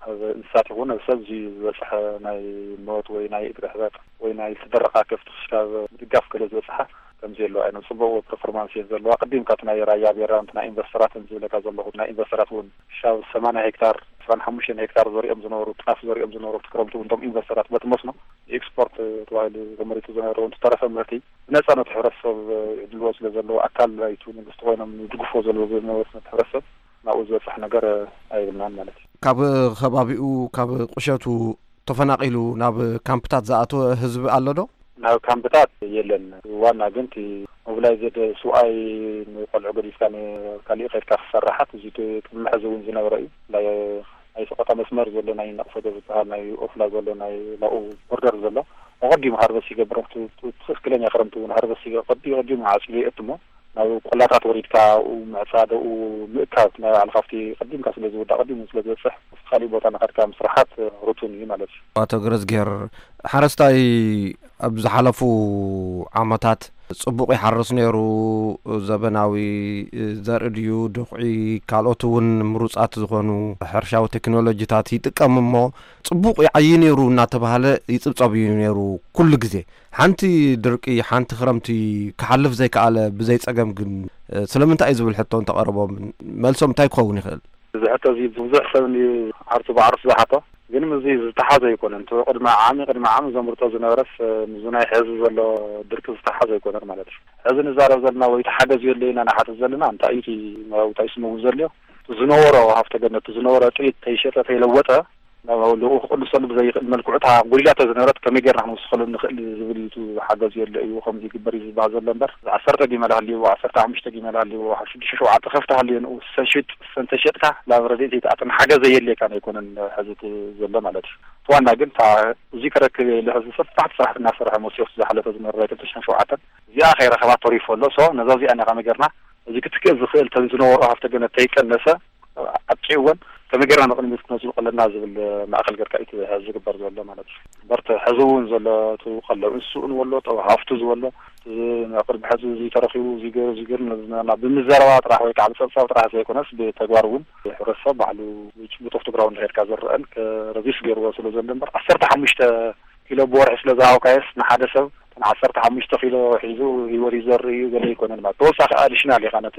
ኣብ እንስሳት ይኹን ኣብ ሰብ እዚ ዝበፅሐ ናይ ሞት ወይ ናይ እግሪ ሕበጥ ወይ ናይ ዝተደረቓ ከፍቲ ክስካብ ምድጋፍ ገለ ዝበፅሓ ከምዚ የለዋ። ናይ ፅቡቕ ፐርፎርማንስ እየን ዘለዋ። ኣቐዲምካ እቲ ናይ ራያ ቤራ፣ እቲ ናይ ኢንቨስተራት ዝብለካ ዘለኹ፣ ናይ ኢንቨስተራት እውን ክሳብ ሰማንያ ሄክታር፣ ዕስራን ሓሙሽተን ሄክታር ዘሪኦም ዝነበሩ፣ ጣፍ ዘሪኦም ዝነበሩ፣ እቲ ክረምቲ እውን እቶም ኢንቨስተራት በቲ መስኖ ኤክስፖርት ተባሂሉ ተመሪቱ ዝነበረ እውን ዝተረፈ ምህርቲ ብነፃ ነቲ ሕብረተሰብ ይዕድልዎ ስለ ዘለዉ፣ ኣካል ናይቲ መንግስቲ ኮይኖም ይድግፍዎ ዘለዉ ዝነበሩ ነቲ ሕብረተሰብ ናብኡ ዝበፅሕ ነገር ኣይብልናን ማለት እዩ። ካብ ከባቢኡ፣ ካብ ቁሸቱ ተፈናቒሉ ናብ ካምፕታት ዝኣተወ ህዝቢ ኣሎ ዶ? ናብ ካምፕታት የለን። ዋና ግን እቲ ሞቢላይዝድ ስውኣይ ንቆልዑ ገዲፍካ ንካሊእ ከድካ ክሰራሓት፣ እዚ እቲ ቅድሚ ሕዚ እውን ዝነበረ እዩ። ናይ፣ ናይ ሰቆጣ መስመር ዘሎ ናይ ነቕፈዶ ዝበሃል ናይ ኦፍላ ዘሎ ናይ ናብኡ ቦርደር ዘሎ ኣቐዲሙ ሃርቨስት ይገብር። እቲ፣ እቲ ትኽክለኛ ክረምቲ እውን ሃርቨስት ይገ-፣ ቀዲ-፣ ቀዲሙ ዓፅዩ የእትሞ። ናብ ቆላታት ወሪድካ ኣብኡ ምዕፃድ፣ ኣብኡ ምእካብ፣ ናይ ባዕልኻ ኣብቲ ቀዲምካ ስለ ዝውዳእ፣ ቀዲሙ ስለ ዝበፅሕ፣ ኣብቲ ካሊእ ቦታ እናኸድካ ምስራሓት ርቱን እዩ ማለት እዩ። ኣቶ ገረዝጌር፣ ሓረስታይ ኣብ ዝሓለፉ ዓመታት ጽቡቕ ይሓርስ ነይሩ፣ ዘበናዊ ዘርኢ ድዩ፣ ድኹዒ፣ ካልኦት እውን ምሩጻት ዝኾኑ ሕርሻዊ ቴክኖሎጂታት ይጥቀም እሞ፣ ጽቡቕ ይዓዪ ነይሩ እናተባህለ ይጽብጸብ እዩ ነይሩ ኩሉ ግዜ። ሓንቲ ድርቂ፣ ሓንቲ ክረምቲ ክሓልፍ ዘይከኣለ ብዘይ ጸገም ግን፣ እ፣ ስለምንታይ እዩ ዝብል ሕቶ እንተቐረቦም፣ መልሶም እንታይ ክኸውን ይኽእል? እዚ ሕቶ እዚ ብዙሕ ሰብ ዓርሱ ብዓርሱ ዝሓቶ፣ ግን ምስዚ ዝተሓዘ ኣይኮነን። እቲ ቅድሚ ዓሚ፣ ቅድሚ ዓሚ ዘምርቶ ዝነበረስ፣ እ፣ ምስዚ ናይ ሕዚ ዘሎ ድርቂ ዝተሓዘ ኣይኮነን ማለት እዩ። ሕዚ ንዛረብ ዘለና ወይ ተሓገዝ የለ ኢና ንሓትት ዘለና፣ እንታይ እዩ እቲ፣ እንታይ እዩ ስሙ እውን ዘድልዮ? ዝነበሮ ሃፍተ ገነት፣ ዝነበሮ ጥሪት ተይሸጠ፣ ተይለወጠ፣ ናብ ልኡ ክቕንሰሉ ብዘይኽእል መልክዑ፣ እታ ጎዲላቶ ዝነበረት ከመይ ጌርና ክንውስኸሉ ንኽእል ዝብል እዩ። እቲ ሓገዝ የለ እዩ፣ ከምዚ ይግበር እዩ ዝበሃል ዘሎ እምበር፣ ዓሰርተ ጊመል ሃልይዎ፣ ዓሰርተ ሓሙሽተ ጊመል ሃልይዎ፣ ሽዱሽተ ሸውዓተ ከፍቲ ሃልዮ ንኡ ሰሽጥ፣ ሰንተሸጥካ ናብ ረድኤት ዘይትኣትን ሓገዝ ዘየድልየካ ኣይኮነን ሕዚ እቲ ዘሎ ማለት እዩ። እቲ ዋና ግን እታ እዚ ክረክብ የለ ሕዚ ሰፋሕቲ ስራሕቲ እናሰርሐ መፅዮ ዝሓለፈ ዝነበረ ናይ ክልተ ሽሕን ሸውዓተን እዚኣ ከይረኸባ ተሪፎ ኣሎ። ሶ ነዛ እዚኣ ኢና ከመይ ጌርና እዚ ክትክእል ዝኽእል ተን ዝነበሮ ሃፍተ ገነት ተይቀነሰ ኣብቂዕወን ከመይ ጌርና ንቕድሚት ክነዝልቆ ኣለና ዝብል ማእከል ጌርካ እዩ እቲ ዝግበር ዘሎ ማለት እዩ። እምበር እቲ ሕዚ እውን ዘሎ እቲ ቀለብ እንስስኡ ንበሎ፣ ጠብ ሃፍቱ ዝበሎ፣ እዚ ኣብ ቅድሚ ሕዚ እዚ ተረኺቡ፣ እዚ ገይሩ፣ እዚ ገይሩ፣ ነዚ ና-፣ ና-፣ ብምዘረባ ጥራሕ ወይ ከዓ ብፀብፃብ ጥራሕ ዘይኮነስ ብተግባር እውን ሕብረተሰብ ባዕሉ ብጭቡጥ ኦፍ ግራውንድ ሄድካ ዝረአን ከ-፣ ረዚስ ገይርዎ ስለ ዘሎ እምበር ዓሰርተ ሓሙሽተ ኪሎ ብወርሒ ስለ ዝሃብካዮስ ንሓደ ሰብ ዓሰርተ ሓሙሽተ ኪሎ ሒዙ ህይወት ይዘርእ እዩ ገለ ኣይኮነን ማለት። ተወሳኺ ኣዲሽናል ኢኻ ነቲ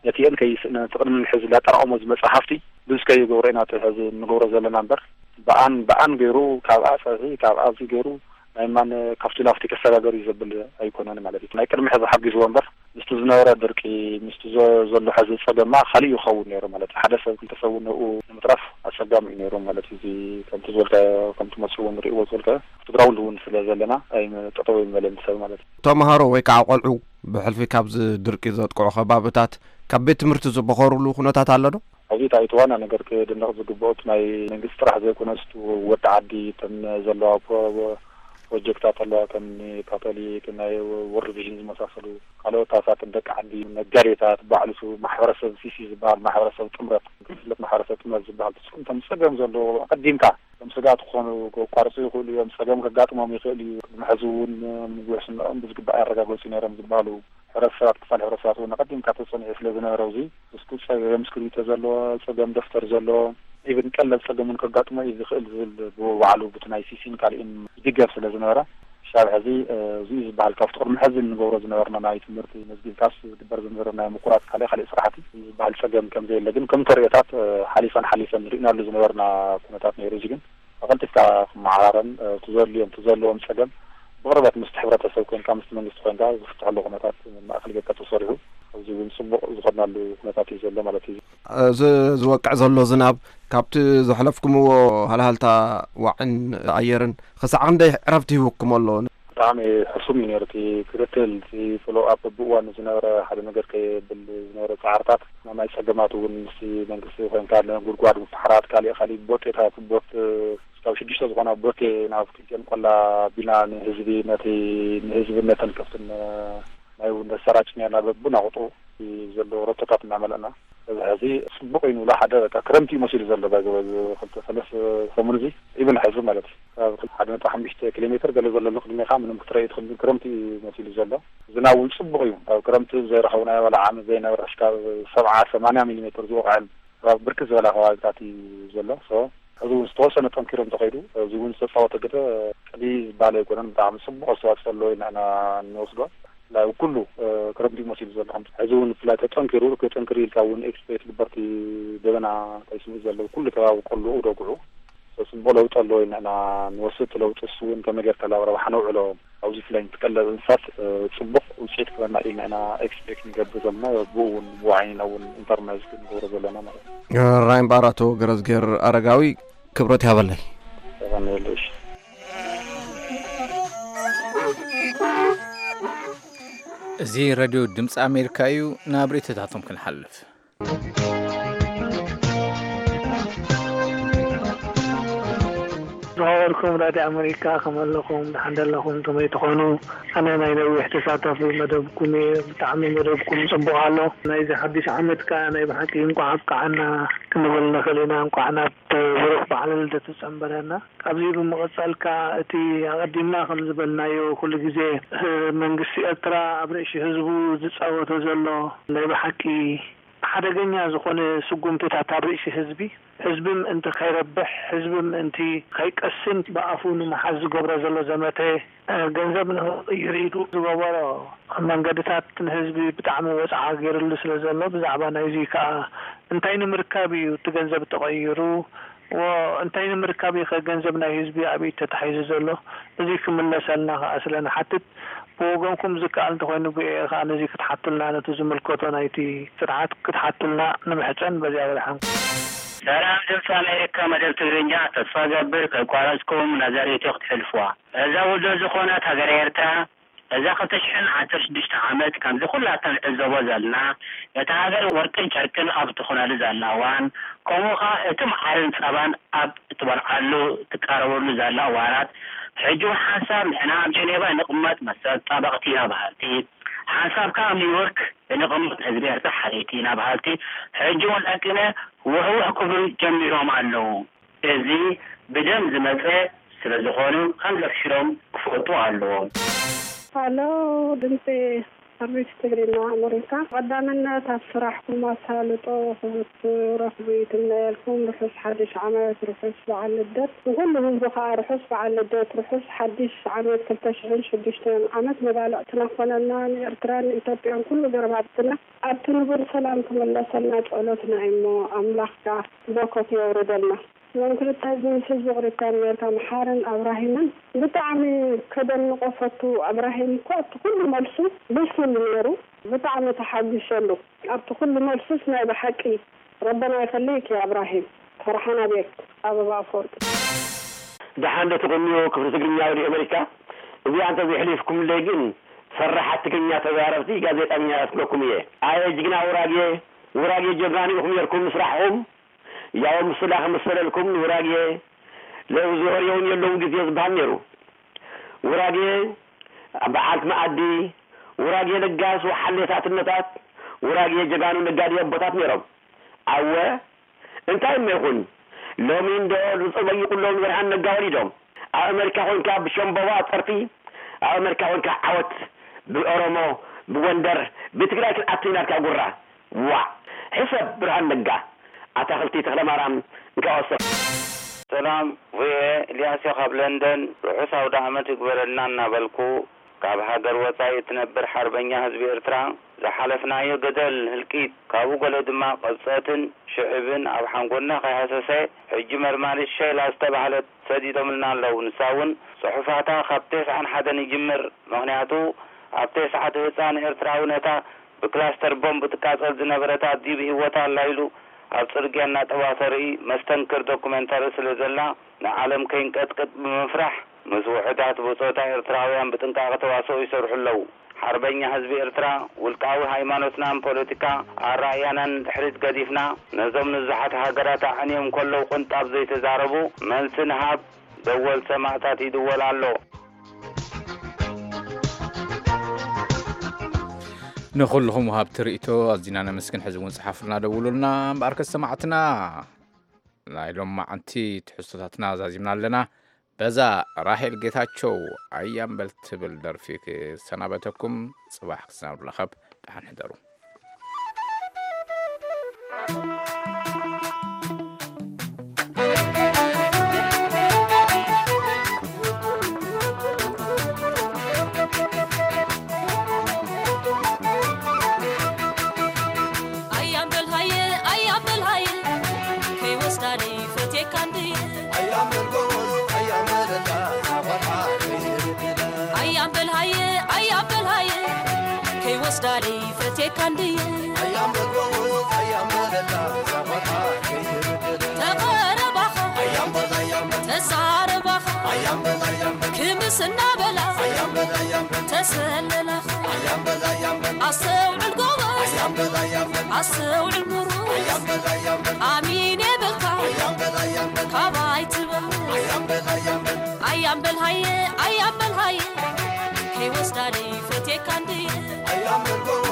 ነቲ እን ከይስ ነቲ ቅድሚ ሕዚ ላጠራቕሞ ዝመጽእ ሃፍቲ ብዙ ከይገብሮ ኢና እቲ ሕዚ እንገብሮ ዘለና እምበር፣ ብኣን ብኣን ገይሩ፣ ካብኣ ጸብሒ፣ ካብኣ እዚ ገይሩ ናይ ማን ካብቲ ላፍቲ ከሰጋገር እዩ ዘብል ኣይኮነን ማለት እዩ። ናይ ቅድሚ ሕዚ ሓጊዝዎ እምበር ምስቲ ዝነበረ ድርቂ፣ ምስቲ ዘ-፣ ዘሎ ሕዚ ጸገማ ካልእ ይኸውን ነይሩ ማለት እዩ። ሓደ ሰብ ክልተ ሰብ እውን ንኡ ንምትራፍ ኣጸጋሚ እዩ ነይሩ ማለት እዩ። እዚ ከምቲ ዝበልካዮ፣ ከምቲ መጽኡ ንርእይዎ ዝበልካዮ፣ እቲ ግራውንድ እውን ስለ ዘለና ኣይም-፣ ጠጠው ኣይመለን ሰብ ማለት እዩ። ተምሃሮ ወይ ከዓ ቆልዑ ብሕልፊ ካብዚ ድርቂ ዘጥቅዑ ከባብታት ካብ ቤት ትምህርቲ ዝበኸሩሉ ኩነታት ኣሎ ዶ? ኣብዚ እቲ ዋና ነገር ክድነቕ ዝግብኦ እቲ ናይ መንግስቲ ጥራሕ ዘይኮነስ እቲ ወዲ ዓዲ እተን ዘለዋ ፕሮ-፣ ፕሮጀክታት ኣለዋ ከም ካቶሊክ ናይ ወርልድ ቪዥን ዝመሳሰሉ ካልኦት ኣሳትን ደቂ ዓዲ ነጋዴታት ባዕሉ ሱ ማሕበረሰብ ሲሲ ዝበሃል ማሕበረሰብ ጥምረት ክፍለት ማሕበረሰብ ጥምረት ዝበሃል ትስኩም ከም ፀገም ዘለዎ ኣቀዲምካ ከም ስጋት ክኾኑ ከቋርፁ ይኽእሉ እዮም። ፀገም ከጋጥሞም ይኽእል እዩ። ቅድሚ ሕዚ እውን ምግቢ ሕስንኦም ብዝግባእ ኣረጋገፁ ነይሮም ዝበሃሉ ሕብረተሰባት ክፋል ሕብረተሰባት እውን ኣቐዲምካ ተጸኒዑ ስለ ዝነበረ፣ እዚ ውስጡ ጸገም እስክሪብቶ ዘለዎ፣ ጸገም ደፍተር ዘለዎ፣ ኢቭን ቀለል ጸገም እውን ከጋጥሞ እዩ ዝኽእል ዝብል ብባዕሉ ብቲ ናይ ሲሲን ካልእን ይድገፍ ስለ ዝነበረ፣ ክሳብ ሕዚ፣ እ፣ እዚ እዩ ዝበሃል ካብቲ ቅድሚ ሕዚ እንገብሮ ዝነበርና ናይ ትምህርቲ መዝጊብካስ ዝግበር ዝነበረ ናይ ምቁራጽ ካልእ ካልእ ስራሕቲ ዝበሃል ጸገም ከም ዘየለ ግን ከም ተርእዮታት፣ እ፣ ሓሊፈን ሓሊፈን ንርእናሉ ዝነበርና ኩነታት ነይሩ። እዚ ግን ኣቐልጢፍካ ክመዓራረን፣ እ፣ እቲ ዘድልዮም፣ እቲ ዘለዎም ጸገም ብቕርበት ምስቲ ሕብረተሰብ ኮንካ፣ ምስቲ መንግስቲ ኮንካ ዝፍትሐሉ ኩነታት ማእከል ጌርካ ተሰሪሑ፣ ኣብዚ እውን ጽቡቕ ዝኾናሉ ኩነታት እዩ ዘሎ ማለት እዩ። እዚ ዝወቅዕ ዘሎ ዝናብ ካብቲ ዘሕለፍኩምዎ ሃልሃልታ ዋዕን ኣየርን ክሳዕ ክንደይ ዕረፍቲ ሂቡኩም ኣሎ? ብጣዕሚ ሕሱም እዩ ነይሩ እቲ ክትትል፣ እቲ ፎሎ ኣፕ፣ ብእዋኑ ዝነበረ ሓደ ነገር ከየብል ዝነበረ ጻዕርታት፣ ናይ ማይ ጸገማት እውን ምስቲ መንግስቲ ኮንካ፣ ንጉድጓድ ምፍሓራት፣ ካሊእ ካሊእ ቦቴታት፣ ቦት፣ እስካብ ሽዱሽተ ዝኾና ቦቴ ናብ ክልቲኦም ቆላ ኣቢልና ንህዝቢ፣ ነቲ ንህዝቢ ነተን ከብትን ማይ እውን ነሰራጭ ነርና። በብናቑጡ ዘሎ ረቶታት እናመለእና፣ እዚ ሕዚ ጽቡቕ እዩ ንብሎ። ሓደ በቃ ክረምቲ እዩ መሲሉ ዘሎ። ባይ ዘ-፣ ክልተ ሰለስተ ሰሙን እዚ ኢቭን ሕዚ ማለት እዩ። ካብ ሓደ ነጥቢ ሓሙሽተ ኪሎ ሜትር ገለ ዘሎ ንቕድሜኻ ምንም ክትረኢ ትኽእል፣ ግን ክረምቲ እዩ መሲሉ ዘሎ። ዝናብ እውን ጽቡቕ እዩ። ኣብ ክረምቲ ዘይረኸብናዮ ዋላ ዓመት ዘይነበረ ክሻብ ሰብዓ ሰማንያ ሚሊ ሜትር ዝወቕዐን ኣብ ብርክት ዝበላ ከባቢታት እዩ ዘሎ። ሶ፣ ሕዚ እውን ዝተወሰነ ጠንኪሩ እንተኸይዱ፣ እዚ እውን ዝተፃወተ ግደ ቀዲ ዝበሃል ኣይኮነን። ብጣዕሚ ጽቡቕ ኣስተዋፅኦ ኣለዎ ኢልና ኢና እንወስዶ። ብፍላይ ኣብ ኩሉ፣ እ፣ ክረምቲ መሲሉ ዘሎ ከምዚ ሕዚ እውን ብፍላይ ተጠንኪሩ፣ ክጥንክር ኢልካ እውን ኤክስፔክት ግበርቲ ደበና እንታይ ስምዒት ዘለዎ ኩሉ ከባቢ ቆልኡ ደጉዑ። ሶ፣ ጽቡቕ ለውጢ ኣለዎ ኢልና ኢና ንወስድ። ለውጢ እሱ እውን ከመይ ጌርካ ናብ ረብሓ ነውዕሎ። ኣብዚ ፍላይ ንትቀለብ እንስሳት፣ እ፣ ጽቡቕ ውጽኢት ክበና ኢልና ኢና ኤክስፔክት ንገብር ዘለና። ብኡ እውን ብዋዒንና እውን ኢንተርናይዝ ክንገብሮ ዘለና ማለት እዩ። ራይን ባራቶ ገረዝጌር ኣረጋዊ ክብረት ያበለይ። ተቐንየሉ፣ እሺ። እዚ ሬድዮ ድምፂ ኣሜሪካ እዩ። ናብ ርእይቶታቶም ክንሓልፍ። ዝኸበርኩም ራድዮ ኣመሪካ፣ ከመይ ኣለኹም? ደሓን ደለኹም? ከመይ ትኾኑ? ኣነ ናይ ነዊሕ ተሳታፊ መደብኩም እየ። ብጣዕሚ መደብኩም ጽቡቕ ኣሎ። ናይዚ ሓድሽ ዓመት ከኣ ናይ ብሓቂ እንቋዕ ኣብቅዓና ክንብል ንኽእል ኢና። እንቋዕ ናብ ብሩኽ በዓለ ልደት ጸንበረና። ካብዚ ብምቕጻል ከኣ እቲ ኣቐዲምና ከም ዝበልናዮ ኩሉ ግዜ፣ እ፣ መንግስቲ ኤርትራ ኣብ ርእሲ ህዝቡ ዝጻወቶ ዘሎ ናይ ብሓቂ ሓደገኛ ዝኾነ ስጉምትታት ኣብ ርእሲ ህዝቢ፣ ህዝቢ ምእንቲ ከይረብሕ፣ ህዝቢ ምእንቲ ከይቀስን ብኣፉ ንምሓዝ ዝገብሮ ዘሎ ዘመተ፣ እ፣ ገንዘብ ንኽቕይር ኢሉ ዝገበሮ መንገድታት ንህዝቢ ብጣዕሚ ወጽዓ ገይርሉ ስለ ዘሎ፣ ብዛዕባ ናይዚ ከኣ እንታይ ንምርካብ እዩ እቲ ገንዘብ ተቐይሩ? ዎ፣ እንታይ ንምርካብ እዩ ከ ገንዘብ ናይ ህዝቢ ኣብ ኢድ ተታሒዙ ዘሎ? እዚ ክምለሰልና ከኣ ስለ ንሓትት፣ ብወገንኩም ዝከኣል እንተኾይኑ ብኤ ከኣ ነዚ ክትሓቱልና፣ ነቲ ዝምልከቶ ናይቲ ስርዓት ክትሓቱልና ንምሕጸን። በዚኣ በደሓንኩም። ሰላም ድምፂ ኣሜሪካ መደብ ትግርኛ፣ ተስፋ ገብር ከይቋረፅኩም ነዛ ሬድዮ ክትሕልፍዋ። እዛ ውዶ ዝኾነት ሃገረ ኤርትራ እዛ ክልተ ሽሕን ዓሰርተ ሽዱሽተ ዓመት ከምዚ ኩላትና ንዕዘቦ ዘለና፣ ነታ ሃገር ወርቅን ጨርቅን ኣብ ትኾነሉ ዘላ እዋን፣ ከምኡ ኸኣ እቲ መዓርን ጸባን ኣብ እትበልዓሉ እትቃረበሉ ዘላ እዋናት፣ ሕጂ እውን ሓንሳብ ንሕና ኣብ ጀኔቫ ንቕመጥ መሰል ጠበቕቲ ኢና በሃልቲ፣ ሓንሳብ ከኣ ኣብ ኒውዮርክ ንቕመጥ ህዝቢ ኤርትራ ሓለይቲ ኢና በሃልቲ፣ ሕጂ እውን ለቂነ ውሕውሕ ክብሉ ጀሚሮም ኣለዉ። እዚ ብደም ዝመጸ ስለ ዝኾኑ፣ ከም ዘፍሽሮም ክፈልጡ ኣለዎም። ሃሎ፣ ድምፂ ኣርቢት ትግርኛ ኣመሪካ፣ ቀዳምነት ኣብ ስራሕኩም ኣሳልጦ ክትረኽቡ ይትምነየልኩም። ርሑስ ሓድሽ ዓመት፣ ርሑስ በዓል ልደት። ንኹሉ ህዝቢ ከዓ ርሑስ በዓል ልደት፣ ርሑስ ሓድሽ ዓመት ክልተ ሽሕን ሽዱሽተን ዓመት መባልዕትና ክኾነልና፣ ንኤርትራን ንኢትዮጵያን ኩሉ ጎረባብትና ኣብቲ ንቡር ሰላም ክምለሰልና ጸሎትና እሞ ኣምላኽ ከዓ በረከቱ የውርደልና። እዞም ክልተ ህዝቢ ምስ ህዝቢ ክሪስታን ኣሜሪካ መሓርን ኣብራሂምን ብጣዕሚ ከደንቆ ፈቱ። ኣብራሂም እኮ ኣብቲ ኩሉ መልሱ ብሱል ነይሩ። ብጣዕሚ ተሓጒሰሉ ኣብቲ ኩሉ መልሱስ። ናይ ብሓቂ ረበና ይኸልይክ እያ ኣብራሂም። ፈርሓና ቤክ ኣበባ ኣፈወርቂ። ደሓን ዶ ትቕንዩ ክፍሊ ትግርኛ ሬድዮ ኣሜሪካ? እዚኣ እንተዘይሕሊፍኩምለይ ግን ፈራሓት ትግርኛ ተዛረብቲ ጋዜጠኛ ያስብለኩም እየ። ኣየ ጅግና ውራጌ፣ ውራጌ ጀጋኑ ኢኹም ነርኩም ምስራሕኹም። ያው ምስላ ከመሰለልኩም ንውራጌ ለእዝሆር የውን የለውን ግዜ ዝበሃል ነይሩ። ውራጌ በዓልቲ መኣዲ፣ ውራጌ ለጋስ ወሓሌታት እነታት፣ ውራጌ ጀጋኑ ነጋዲ ኣቦታት ነይሮም። ኣወ እንታይ እሞ ይኹን ሎሚ እንዶ ዝጸበይቁሎም ንብርሃን ነጋ ወሊዶም ኣብ ኣመሪካ ኮንካ ብሸምበባ ጸርፊ ኣብ ኣመሪካ ኮንካ ዓወት ብኦሮሞ ብጎንደር ብትግራይ ክንኣቱ ኢና ኢልካ ጉራ ዋዕ ሕሰብ ብርሃን ነጋ ኣታኽልቲ ተኽለማርያም እንካ ወሰኽ ሰላም ቪኦኤ፣ ኢልያስ እየ ካብ ለንደን። ርሑስ ኣውደኣመት ይግበረልና እናበልኩ፣ ካብ ሃገር ወጻኢ እትነብር ሓርበኛ ህዝቢ ኤርትራ፣ ዝሓለፍናዮ ገደል፣ ህልቂት፣ ካብኡ ገለ ድማ ቅብጸትን ሽዕብን ኣብ ሓንጎልና ከይሃሰሰ፣ ሕጂ መርማሪት ሸይላ ዝተባህለት ሰዲዶምልና ኣለዉ። ንሳ እውን ጽሑፋታ ካብ ተስዓን ሓደን ይጅምር። ምኽንያቱ፣ ኣብ ተስዓት ህጻን ኤርትራዊ ነታ ብክላስተር ቦምብ ትቃጸል ዝነበረት ኣዲኡ ብህይወታ ኣላ ኢሉ ኣብ ጽርግያ እናጠዋ ተርኢ መስተንክር ዶኩመንታሪ ስለ ዘላ ንዓለም ከይንቀጥቅጥ ብምፍራሕ ምስ ውሑዳት ብጾታ ኤርትራውያን ብጥንቃቐ ተዋስኦ ይሰርሑ ኣለዉ። ሓርበኛ ህዝቢ ኤርትራ ውልቃዊ ሃይማኖትናን ፖለቲካ ኣራእያናን ንድሕሪት ገዲፍና ነዞም ንዙሓት ሃገራት ኣዕንዮም ከለዉ ቅንጣብ ዘይተዛረቡ መልሲ ንሃብ ደወል ሰማእታት ይድወል ኣሎ። ንኹልኹም ወሃብቲ ርእይቶ ኣዚና ነመስግን። ሕዚ እውን ጽሓፉልና ደውሉልና። እምበኣርከስ ሰማዕትና ናይ ሎማዓንቲ ትሕዝቶታትና ዛዚምና ኣለና። በዛ ራሄል ጌታቸው ኣያምበል ትብል ደርፊ ክሰናበተኩም። ጽባሕ ክሳብ ንራኸብ ደሓን ሕደሩ። ኣያምበል ሃየ ኣያምበል ሃየ ከይወስዳ ደይፈትየካ እንድየ ኣያምበል ሃየ ኣያምበል ሃየ ከይወስዳ ደይፈትየካ እንድየ ተቐረባኻ ተዛረባኻ ክምስ እናበላ ተሰለላኻ ኣስተውዕል ጎበዝ ኣስተውዕል ምሩስ ኣሚን የብልካ ካባይ ትበል ኣያምበል ሃየ ኣያምበል ሃየ ከይወስዳ ደይፈትየካ እንድየ ኣያምበል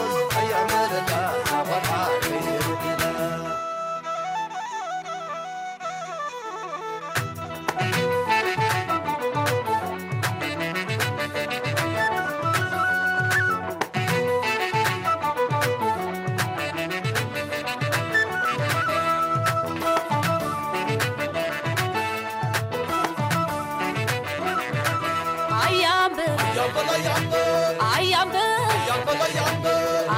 ኣያምበል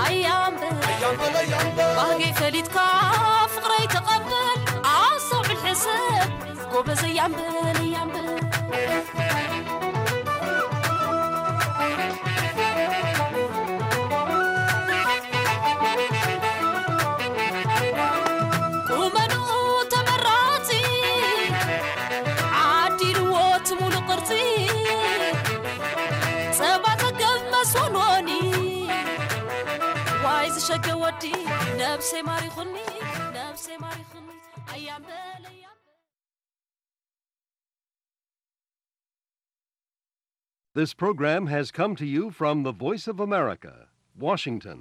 ኣያምበል ኣያምበል ባህገይ ፈሊጥካ ፍቕረይ ተቐበል ኣስተውዕል ሕሰብ ጎበዝ ኣያምበል ኣያምበል ቁመንኡ ተመራጺ ዓዲልዎ እቲ ሙሉእ ቅርጺ ጸባ ጸገብ መስወንወኒ ዋይ ዝሸገ ወዲ ነብሰይ ማሪኹኒ ነብሰይ ማሪኹኒ ኣያምበል ኣያምበል This program has come to you from the Voice of America, Washington.